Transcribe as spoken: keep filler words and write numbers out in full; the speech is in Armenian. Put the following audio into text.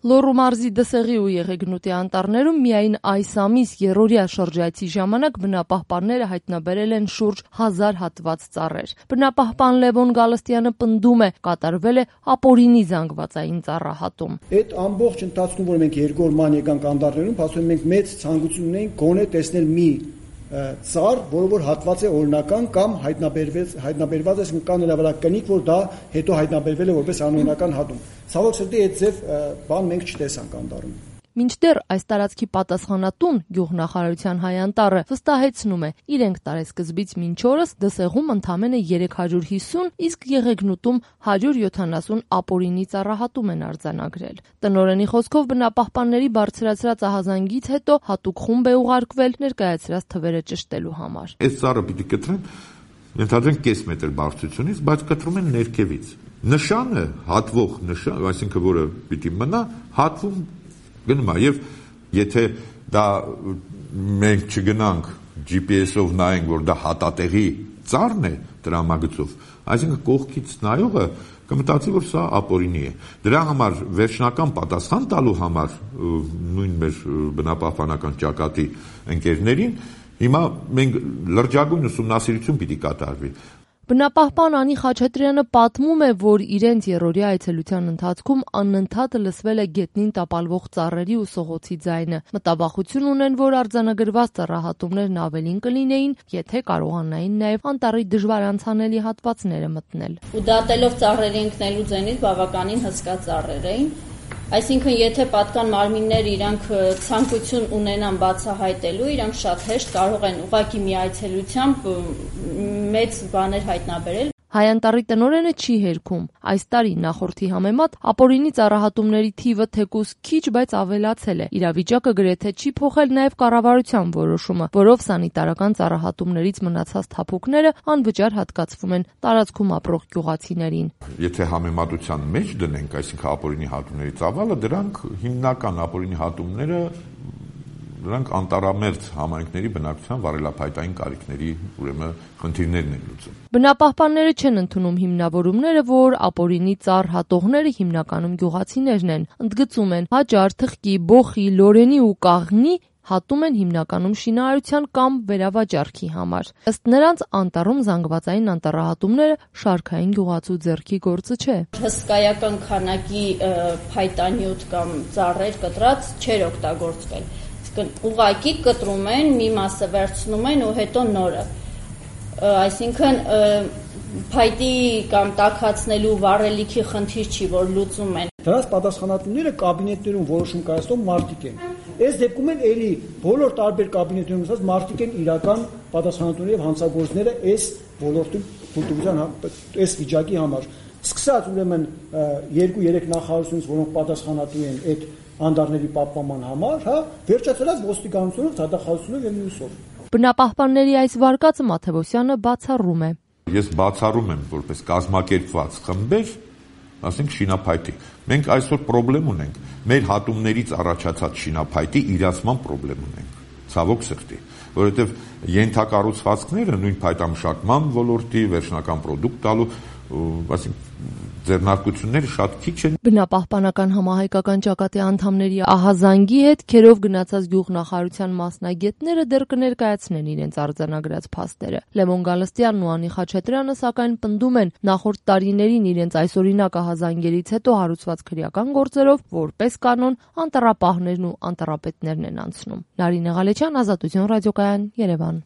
Լոռու մարզի Դսեղի ու Եղեգնուտի անտառներում միայն այս ամիս երրորդյա շրջայցի ժամանակ բնապահպանները հայտնաբերել են շուրջ հազար հատված ծառեր։ Բնապահպան Լևոն Գալստյանը պնդում է, կատարվել է ապօրինի զանգվածային ծառահատում։ Այդ ամբողջ ընթացքում, որ մենք երկու օր ման եկանք անտառներում, ասում ենք մեծ ցանկություն ունենք գոնե տեսնել մի ծառ, որը որ հատված է օրինական կամ հայտնաբերված հայտնաբերված է կան նրա վրա կնիկ, որ դա հետո հայտնաբերվել է որպես անօրինական հատում։ Ցավոք սրտի այդ ձև բան մենք չտեսանք անտառում։ Մինչդեռ այս տարածքի պատասխանատուն գյուղնախարարության հայ անտառը վստահեցնում է, իրենք տարեսկզբից մինչ օրս Դսեղում ընդամենը երեք հարյուր հիսուն, իսկ Եղեգնուտում հարյուր յոթանասուն ապօրինի ծառահատում են արձանագրել։ Տնօրենի խոսքով բնապահպանների բարձրացրած ահազանգից հետո հատուկ խումբ է ուղարկվել ներկայացրած թվերը ճշտելու համար։ Այս ծառը պիտի կտրեն, ընդհանրեն կես մետր բարձրությունից, բայց կտրում են ներքևից։ Նշանը, հատվող նշան, այսինքն որը պիտի մնա, հատվում գնում է, եւ եթե դա մենք չգնանք Ջի Պի Էսով նայենք, որ դա հատատեղի ծառն է տրամագծով, այսինքն կողքից նայողը կմտածի, որ սա ապօրինի է։ Դրա համար վերջնական պատասխան տալու համար նույն մեր բնապահպանական ճակատի ընկերներին հիմա մենք լրջագույն ուսումնասիրություն պիտի կատարվի։ Բնապահպան Անի Խաչատրյանը պատմում է, որ իրենց երրորդյա այցելության ընթացքում անընդհատ լսվել է գետնին տապալվող ծառերի ու սողոցի ձայնը։ Մտավախություն ունեն, որ արձանագրված ծառահատումներն ավելին կլինեին, եթե կարողանային նաև անտառի դժվար անցանելի հատվածները մտնել։ Ու դատելով ծառերի ընկնելու ձայնից բավականին հսկա ծառեր էին։ Այսինքն, եթե պատկան մարմինները իրանք ցանկություն ունենան բացահայտելու, իրանք շատ հեշտ կարող են ուղղակի մի այցելությամբ մեծ բաներ հայտնաբերել։ Հայ անտառի տնօրենը չի հերքում։ Այս տարի նախորդի համեմատ ապօրինի ծառահատումների թիվը թեկուզ քիչ, բայց ավելացել է։ Իրավիճակը գրեթե չի փոխել նաև կառավարության որոշումը, որով սանիտարական ծառահատումներից մնացած թափուկները անվճար հատկացվում են տարածքում ապրող գյուղացիներին։ Եթե համեմատության մեջ դնենք, այսինքն ապօրինի հատումների ծավալը, դրանք հիմնական ապօրինի հատումները դրանք անտառամերձ համայնքների բնակչության վարելափայտային կարիքների ուրեմն խնդիրներն են լուծում։ Բնապահպանները չեն ընդունում հիմնավորումները, որ ապօրինի ծառ հատողները հիմնականում գյուղացիներն են։ Ընդգծում են, հաճար, թխկի, բոխի, լորենի ու կաղնի հատում են հիմնականում շինարարության կամ վերավաճառքի համար։ Ըստ նրանց անտառում զանգվածային անտառահատումները շարքային գյուղացու ձեռքի գործը չէ։ Հսկայական քանակի փայտանյութ կամ ծառեր կտրած չէր օգտագործվել։ Ուղղակի կտրում են, մի մասը վերցնում են ու հետո նորը։ Այսինքն փայտի կամ տաքացնելու վառելիքի խնդիր չի, որ լուծում են։ Դրանց պատասխանատուները կաբինետներում որոշում կայացնող մարդիկ են։ Այս դեպքում էլ էլի բոլոր տարբեր կաբինետներում ասած մարդիկ են իրական պատասխանատուները եւ հանցագործները այս ոլորտի փոթորության այս վիճակի համար։ Սկսած ուրեմն երկու-երեք նախարարությունից, որոնք պատասխանատու են այդ անդառների պահպանման համար, հա, վերջացրած ոստիկանությունով, դատախազությունով եւ մյուսով։ Բնապահպանների այս վարկածը Մաթեոսյանը բացառում է։ Ես բացառում եմ որպես կազմակերպված խմբեր, ասենք շինափայտի։ Մենք այսօր խնդրեմ ունենք, մեր հատումներից առաջացած շինափայտի իրացման խնդրեմ ունենք։ Ցավոք սրտի, որովհետեւ ենթակառուցվածքները նույն փայտամշակման ոլորտի վերջնական ապրանք տալու, ասենք ձեռնարկությունները շատ քիչ են։ Բնապահպանական համահայկական ճակատի անդամների ահազանգի հետ քերով գնացած գյուղնախարարության մասնագետները դեռ կներկայացնեն իրենց արձանագրած փաստերը։ Լևոն Գալստյանն ու Անի Խաչատրյանը սակայն պնդում են, նախորդ տարիներին իրենց այսօրինակ ահազանգերից հետո հարուցված քրեական գործերով որպես կանոն անտառապահներն ու անտառապետներն են անցնում։ Նարինե Ղալեչյան, Ազատություն ռադիոկայան, Երևան։